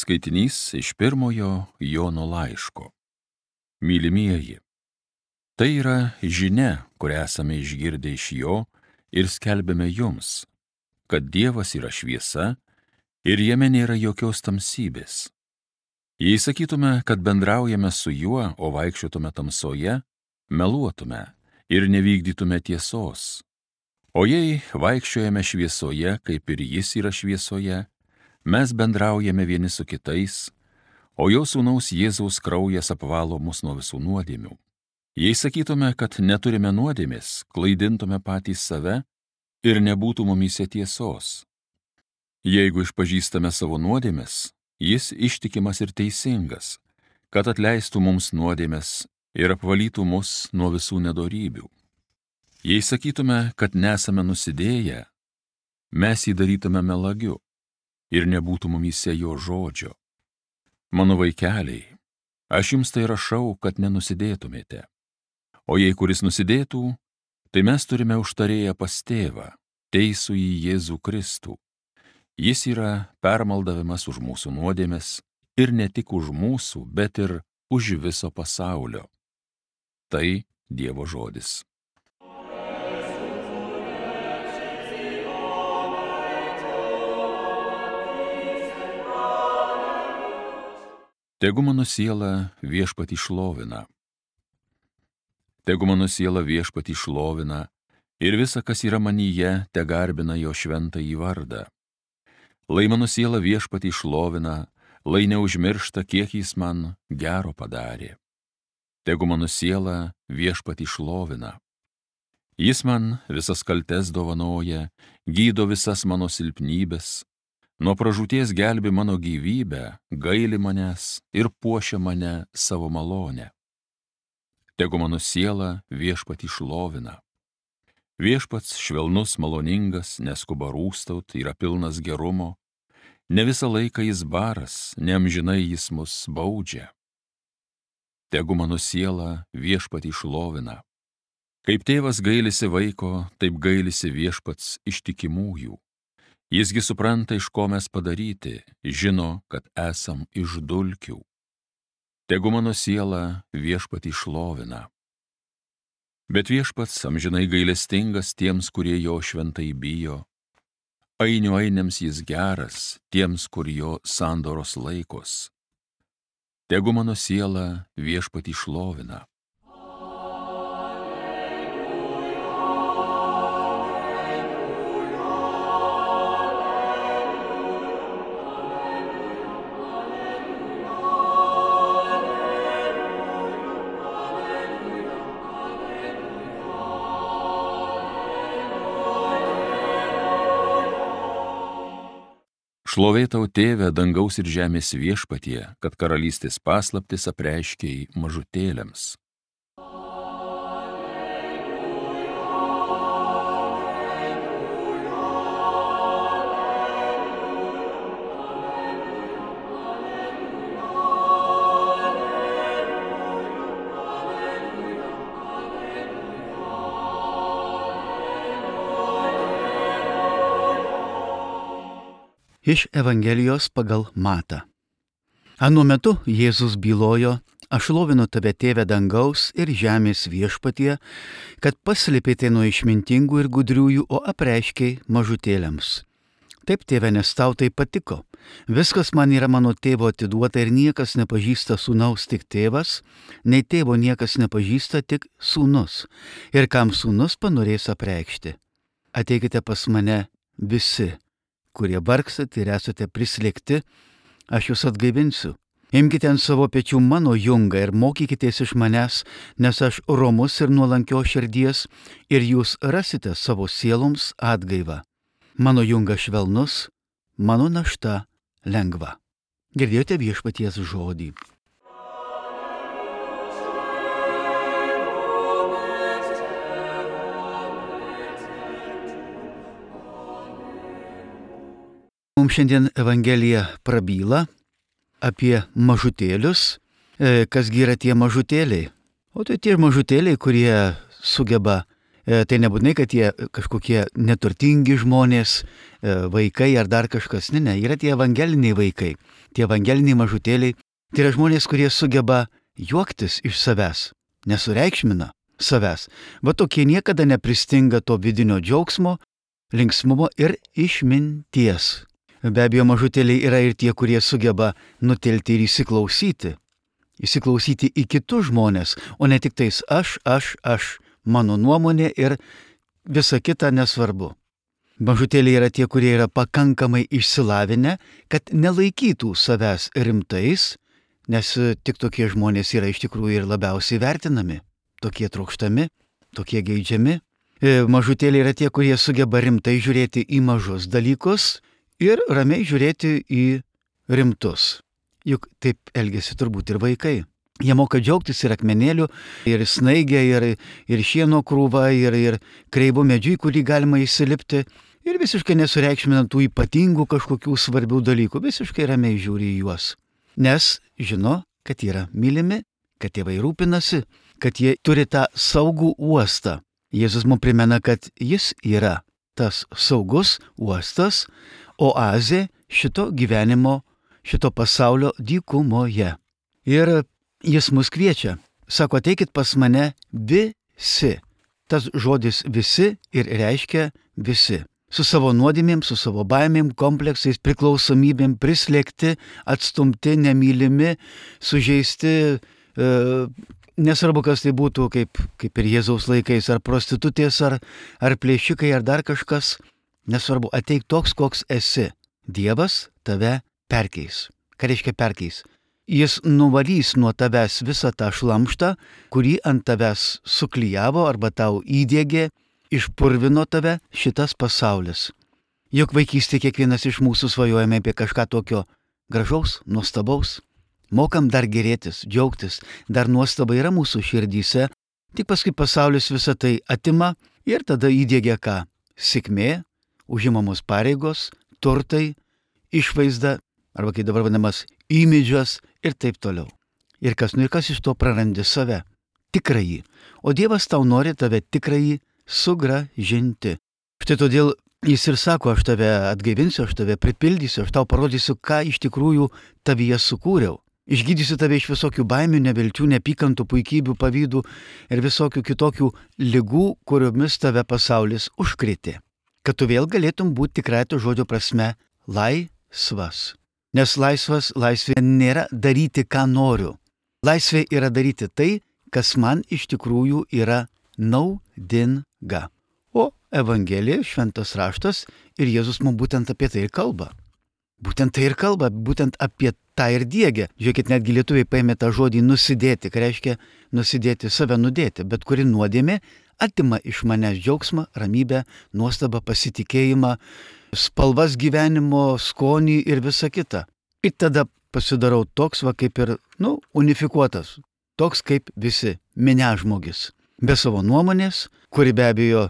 Skaitinys iš pirmojo Jono laiško. Mylimieji, tai yra žinia, kurią esame išgirdę iš jo ir skelbėme jums, kad Dievas yra šviesa ir jame nėra jokios tamsybės. Jei sakytume, kad bendraujame su juo, o vaikščiotume tamsoje, meluotume ir nevykdytume tiesos. O jei vaikščiojame šviesoje, kaip ir jis yra šviesoje, mes bendraujame vieni su kitais, o jo sūnaus Jėzaus kraujas apvalo mus nuo visų nuodėmių. Jei sakytume, kad neturime nuodėmės, klaidintume patys save ir nebūtų mumyse tiesos. Jeigu išpažįstame savo nuodėmės, jis ištikimas ir teisingas, kad atleistų mums nuodėmės ir apvalytų mus nuo visų nedorybių. Jei sakytume, kad nesame nusidėję, mes jį darytume melagiu ir nebūtų mumyse jo žodžio. Mano vaikeliai, aš jums tai rašau, kad nenusidėtumėte. O jei kuris nusidėtų, tai mes turime užtarėję pas tėvą, teisųjį Jėzų Kristų. Jis yra permaldavimas už mūsų nuodėmes ir ne tik už mūsų, bet ir už viso pasaulio. Tai Dievo žodis. Tegu mano siela Viešpatį šlovina. Tegu mano siela Viešpatį šlovina ir visa, kas yra manyje, te garbina jo šventąjį vardą. Lai mano siela Viešpatį šlovina, lai neužmiršta, kiek jis man gero padarė. Tegu mano siela Viešpatį šlovina. Jis man visas kaltes dovanoja, gydo visas mano silpnybes, nuo pražūties gelbi mano gyvybę, gaili manęs ir puošia mane savo malonę. Tegu mano siela Viešpatį šlovina. Viešpats švelnus, maloningas, neskuba rūstaut, yra pilnas gerumo, ne visą laiką jis baras, neamžinai jis mus baudžia. Tegu mano siela Viešpatį šlovina. Kaip tėvas gailisi vaiko, taip gailisi Viešpats ištikimųjų. Jisgi supranta, iš ko mes padaryti, žino, kad esam iš dulkių. Tegu mano siela Viešpatį šlovina. Bet Viešpats amžinai gailestingas tiems, kurie jo šventai bijo. Ainių ainiams jis geras, tiems, kur jo sandoros laikos. Tegu mano siela Viešpatį šlovina. Šlovė tau, Tėve, dangaus ir žemės Viešpatie, kad karalystės paslaptis apreiškei mažutėliams. Iš Evangelijos pagal Matą. Anu metu Jėzus bylojo: aš šlovinu tave, Tėve dangaus ir žemės Viešpatie, kad paslėpėte nuo išmintingų ir gudriųjų, o apreiškei mažutėliams. Taip, Tėve, nes tau tai patiko. Viskas man yra mano tėvo atiduota ir niekas nepažįsta sūnaus, tik tėvas, nei tėvo niekas nepažįsta, tik sūnus. Ir kam sūnus panorės apreikšti. Ateikite pas mane visi, kurie vargstat ir esate prislėgti, aš jūs atgaivinsiu. Imkite ant savo pečių mano jungą ir mokykitės iš manęs, nes aš romus ir nuolankios širdies, ir jūs rasite savo sieloms atgaivą. Mano jungas švelnus, mano našta lengva. Girdėjote Viešpaties žodį. Mums šiandien Evangelija prabyla apie mažutėlius. Kasgi yra tie mažutėliai? O tai tie mažutėliai, kurie sugeba Tai nebūtinai, kad jie kažkokie neturtingi žmonės, vaikai ar dar kažkas. Ne, yra tie evangeliniai vaikai, tie evangeliniai mažutėliai. Tai yra žmonės, kurie sugeba juoktis iš savęs, nesureikšmina savęs. Va tokie niekada nepristinga to vidinio džiaugsmo, linksmumo ir išminties. Be abejo, mažutėliai yra ir tie, kurie sugeba nutilti ir įsiklausyti į kitus žmonės, o ne tik tais aš, mano nuomonė ir visa kita nesvarbu. Mažutėliai yra tie, kurie yra pakankamai išsilavinę, kad nelaikytų savęs rimtais, nes tik tokie žmonės yra iš tikrųjų ir labiausiai vertinami, tokie trokštami, tokie geidžiami. Mažutėliai yra tie, kurie sugeba rimtai žiūrėti į mažus dalykus ir ramiai žiūrėti į rimtus. Juk taip elgesi turbūt ir vaikai. Jie moka džiaugtis ir akmenėlių, ir snaigė, ir šieno krūva, ir kreivų medžių, į kurį galima įsilipti, ir visiškai nesureikšminant tų ypatingų kažkokių svarbių dalykų, visiškai ramiai žiūri į juos. Nes žino, kad yra mylimi, kad tėvai rūpinasi, kad jie turi tą saugų uostą. Jėzus mums primena, kad jis yra tas saugus uostas, oazė šito gyvenimo, šito pasaulio dykumoje. Ir jis mus kviečia, sako, ateikit pas mane visi. Tas žodis visi ir reiškia visi. Su savo nuodėmėm, su savo baimėm, kompleksais, priklausomybėm, prislėgti, atstumti, nemylimi, sužeisti, nesvarbu, kas tai būtų, kaip ir Jėzaus laikais, ar prostitutės, ar plėšikai, ar dar kažkas, nesvarbu, ateik toks, koks esi. Dievas tave perkeis. Ką reiškia perkeis? Jis nuvalys nuo tavęs visą tą šlamštą, kurį ant tavęs suklijavo arba tau įdiegė, išpurvino tave šitas pasaulis. Juk vaikystėje kiekvienas iš mūsų svajojame apie kažką tokio gražaus, nuostabaus. Mokam dar gerėtis, džiaugtis, dar nuostaba yra mūsų širdyse, tik paskui pasaulis visą tai atima ir tada įdiegia ką? Sėkmė, užimamos pareigos, turtai, išvaizda, arba kaip dabar vadinamas imidžas ir taip toliau. Ir kas iš to prarandi save, tikrąjį. O Dievas tau nori tave tikrąjį sugrąžinti. Štai todėl jis ir sako, aš tave atgaivinsiu, aš tave pripildysiu, aš tau parodysiu, ką iš tikrųjų tavyje sukūriau. Išgydysiu tave iš visokių baimių, nevilčių, nepykantų, puikybių, pavydų ir visokių kitokių ligų, kuriomis tave pasaulis užkrėtė. Kad tu vėl galėtum būti tikrai to žodžio prasme laisvas. Nes laisvė nėra daryti, ką noriu. Laisvė yra daryti tai, kas man iš tikrųjų yra naudinga. O Evangelija, šventas raštas ir Jėzus mums būtent apie tai ir kalba. Būtent tai ir kalba, būtent apie tą ir diegia. Žiūrėkit, netgi lietuviai paėmė tą žodį nusidėti, ką reiškia nusidėti, save nudėti, bet kuri nuodėmė atima iš manęs džiaugsmą, ramybę, nuostabą, pasitikėjimą, spalvas gyvenimo, skonį ir visa kita. Ir tada pasidarau toks, kaip ir, unifikuotas, toks kaip visi, minežmogis. Be savo nuomonės, kuri be abejo,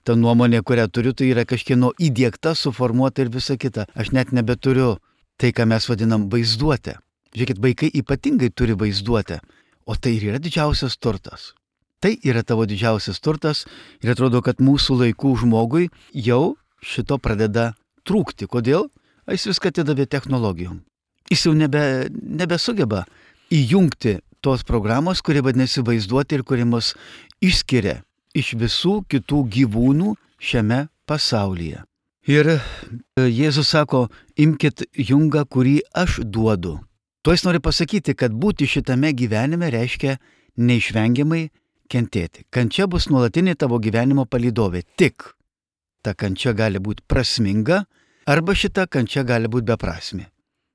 ta nuomonė, kurią turiu, tai yra kažkieno įdiegta, suformuota ir visa kita. Aš net nebeturiu tai, ką mes vadinam vaizduotę. Žiūrėkit, vaikai ypatingai turi vaizduotę, o tai ir yra didžiausias turtas. Tai yra tavo didžiausias turtas ir atrodo, kad mūsų laikų žmogui jau šito pradeda trūkti. Kodėl? Jis viską atidavė technologijom. Jis jau nebesugeba įjungti tos programos, kuri vadinasi vaizduoti ir kuri mus išskiria iš visų kitų gyvūnų šiame pasaulyje. Ir Jėzus sako, imkit jungą, kurį aš duodu. Tuo jis nori pasakyti, kad būti šitame gyvenime reiškia neišvengiamai kentėti. Kančia bus nuolatinė tavo gyvenimo palydovė. Tik ta kančia gali būti prasminga, arba šita kančia gali būti beprasmė.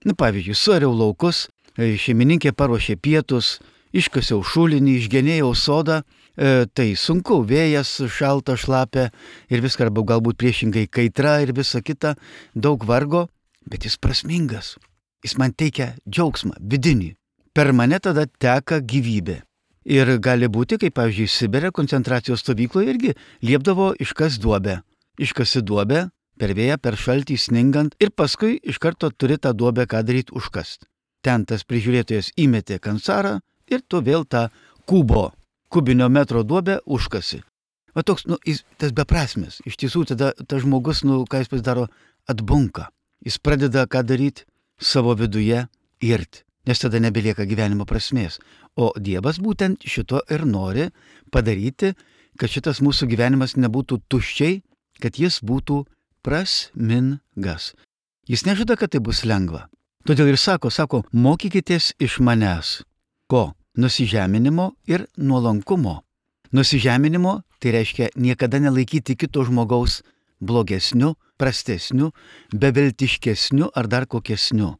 Pavyzdžiui, suariau laukus, šeimininkė paruošė pietus, iškasiau šulinį, išgenėjau sodą, tai sunku, vėjas, šalta, šlapia ir viską, arba galbūt priešingai kaitra ir visa kita, daug vargo, bet jis prasmingas. Jis man teikia džiaugsmą, vidinį. Per mane tada teka gyvybė. Ir gali būti, kaip pavyzdžiui, Sibire koncentracijos stovykloje irgi liepdavo iškas duobę. Iškasi duobę, per vėją, per šaltį, sningant ir paskui iš karto turi tą duobę ką daryti užkast. Ten tas prižiūrėtojas įmetė kancarą ir tu vėl tą kubinio metro duobę užkasi. Va toks, tas beprasmis. Iš tiesų, tada tas žmogus, ką jis pasidaro, atbunka. Jis pradeda ką daryti savo viduje irti, nes tada nebelieka gyvenimo prasmės. O Dievas būtent šito ir nori padaryti, kad šitas mūsų gyvenimas nebūtų tuščiai, kad jis būtų prasmingas. Jis nežada, kad tai bus lengva. Todėl ir sako, mokykitės iš manęs. Ko? Nusižeminimo ir nuolankumo. Nusižeminimo tai reiškia niekada nelaikyti kito žmogaus blogesniu, prastesniu, beviltiškesniu ar dar kokesniu.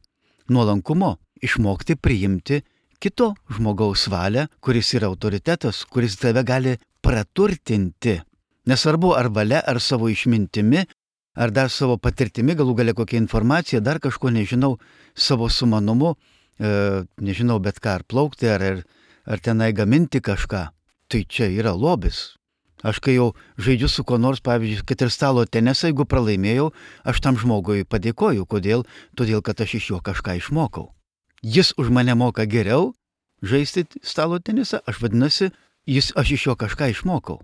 Nuolankumo išmokti priimti kito žmogaus valią, kuris yra autoritetas, kuris tave gali praturtinti. Nesvarbu ar valia, ar savo išmintimi, ar dar savo patirtimi, galų gale kokia informacija, dar kažko nežinau, savo sumanumu, nežinau, bet ką, ar plaukti, ar tenai gaminti kažką. Tai čia yra lobis. Aš kai jau žaidžiu su kuo nors, pavyzdžiui, kad ir stalo tenisą, jeigu pralaimėjau, aš tam žmogui padėkoju. Kodėl? Todėl, kad aš iš jo kažką išmokau. Jis už mane moka geriau žaisti stalo tenisą, aš iš jo kažką išmokau.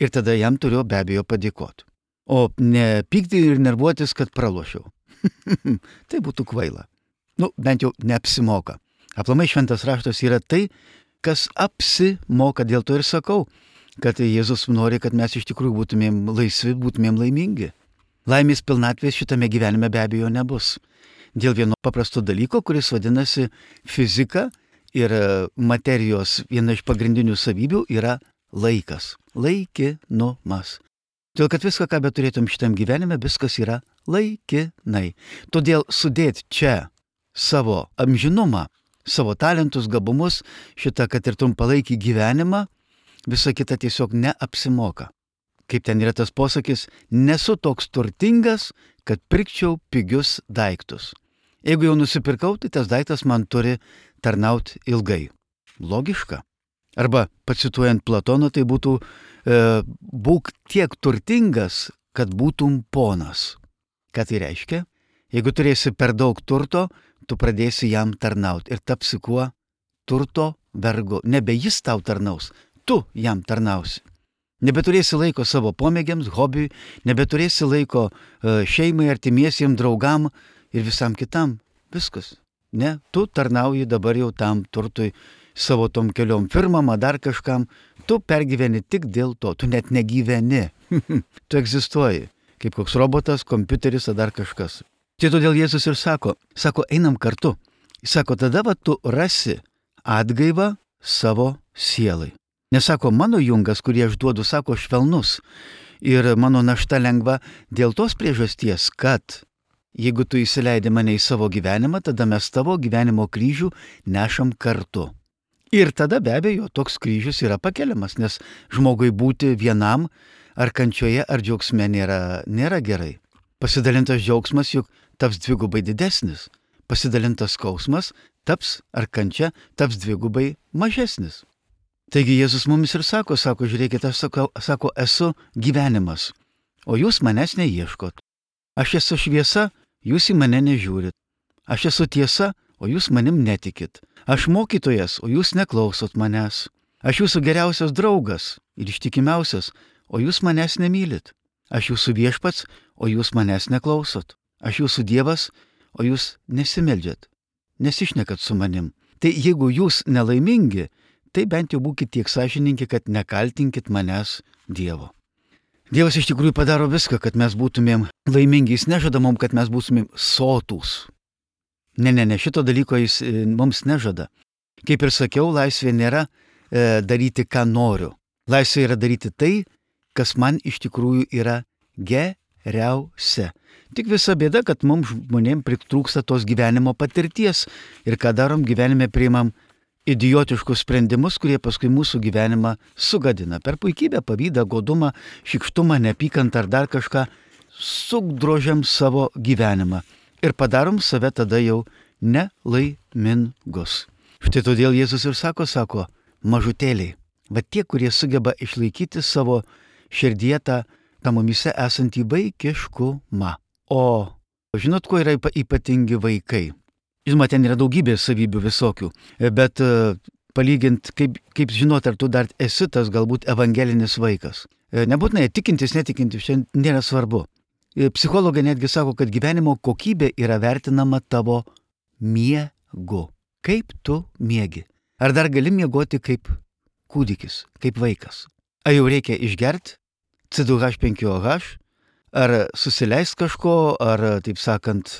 Ir tada jam turiu be abejo padėkoti. O ne pykti ir nervuotis, kad pralošiau. Tai būtų kvaila. Bent jau neapsimoka. Aplamai šventas raštas yra tai, kas apsimoka. Dėl to ir sakau, kad Jėzus nori, kad mes iš tikrųjų būtumėm laisvi, būtumėm laimingi. Laimės pilnatvės šitame gyvenime be abejo nebus. Dėl vieno paprasto dalyko, kuris vadinasi fizika ir materijos viena iš pagrindinių savybių yra laikas. Laikinumas. Todėl, kad viską, ką beturėtum šitam gyvenime, viskas yra laikinai. Todėl sudėti čia savo amžinumą, savo talentus, gabumus, šitą, kad ir trumpalaikį gyvenimą, visa kita tiesiog neapsimoka. Kaip ten yra tas posakis, nesu toks turtingas, kad pirkčiau pigius daiktus. Jeigu jau nusipirkau, tai tas daiktas man turi tarnauti ilgai. Logiška. Arba, pacituojant Platoną, tai būtų būk tiek turtingas, kad būtum ponas. Ką tai reiškia? Jeigu turėsi per daug turto, tu pradėsi jam tarnauti ir tapsi kuo? Turto vergu. Nebe jis tau tarnaus, tu jam tarnausi. Nebeturėsi laiko savo pomėgiams, hobiui, nebeturėsi laiko šeimai, artimiesiems, draugam ir visam kitam. Viskas. Ne, tu tarnauji dabar jau tam turtui, savo tom keliom firmam, dar kažkam. Tu pergyveni tik dėl to, tu net negyveni. Tu egzistuoji, kaip koks robotas, kompiuteris ar dar kažkas. Tai todėl Jėzus ir sako, einam kartu. Jis sako, tada tu rasi atgaivą savo sielai. Nesako, mano jungas, kurį aš duodu, sako, švelnus. Ir mano našta lengva dėl tos priežasties, kad jeigu tu įsileidi mane į savo gyvenimą, tada mes tavo gyvenimo kryžių nešam kartu. Ir tada be abejo toks kryžius yra pakeliamas, nes žmogui būti vienam ar kančioje ar džiaugsme nėra gerai. Pasidalintas džiaugsmas juk taps dvigubai didesnis. Pasidalintas skausmas taps ar kančia taps dvigubai mažesnis. Taigi Jėzus mumis ir sako, žiūrėkit, aš sako, esu gyvenimas, o jūs manęs neieškot. Aš esu šviesa, jūs į mane nežiūrit. Aš esu tiesa, o jūs manim netikit. Aš mokytojas, o jūs neklausot manęs. Aš jūsų geriausias draugas ir ištikimiausias, o jūs manęs nemylit. Aš jūsų viešpats, o jūs manęs neklausot. Aš jūsų Dievas, o jūs nesimeldžiat, nesišnekat su manim. Tai jeigu jūs nelaimingi, tai bent jau būkit tiek sąžiningi, kad nekaltinkit manęs Dievo. Dievas iš tikrųjų padaro viską, kad mes būtumėm laimingi. Jis nežada mums, kad mes būtumėm sotūs. Ne, šito dalyko jis mums nežada. Kaip ir sakiau, laisvė nėra daryti, ką noriu. Laisvė yra daryti tai, kas man iš tikrųjų yra geriausia. Tik visa bėda, kad mums žmonėms pritrūksta tos gyvenimo patirties ir ką darom gyvenime, priimam idiotiškus sprendimus, kurie paskui mūsų gyvenimą sugadina. Per puikybę, pavydą, godumą, šykštumą, neapykantą ar dar kažką sudrožiam savo gyvenimą ir padarom save tada jau nelaimingus. Štai todėl Jėzus ir sako, mažutėliai, va tie, kurie sugeba išlaikyti savo širdyje tą mumyse esantį vaikiškumą. O žinot, kuo yra ypatingi vaikai? Žinoma, ten yra daugybė savybių visokių, bet palygint, kaip žinot, ar tu dar esi tas galbūt evangelinis vaikas. Nebūtinai tikintis, netikintis, šiandien nėra svarbu. Psichologai netgi sako, kad gyvenimo kokybė yra vertinama tavo miegu. Kaip tu miegi? Ar dar gali miegoti kaip kūdikis, kaip vaikas? Ar jau reikia išgerti C2H5OH? Ar susileist kažko, ar, taip sakant,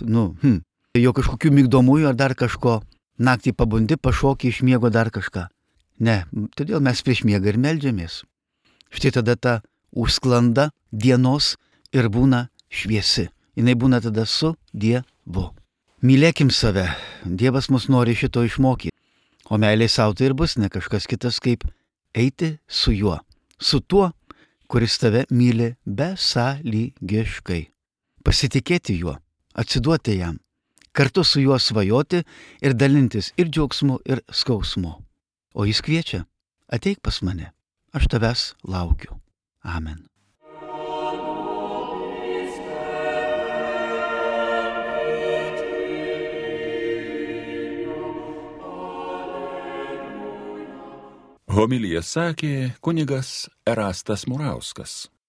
jo kažkokių migdomųjų ar dar kažko? Naktį pabundi, pašoki iš miego dar kažką? Ne, todėl mes prieš miegą ir meldžiamės. Štai tada ta užsklanda dienos ir būna šviesi. Jinai būna tada su Dievu. Mylėkim save. Dievas mus nori šito išmokyti. O meilė savo tai ir bus ne kažkas kitas kaip eiti su juo. Su tuo, kuris tave myli besąlygiškai. Pasitikėti juo, atsiduoti jam. Kartu su juo svajoti ir dalintis ir džiaugsmu, ir skausmu. O jis kviečia, ateik pas mane, aš tavęs laukiu. Amen. Homiliją sakė kunigas Erastas Murauskas.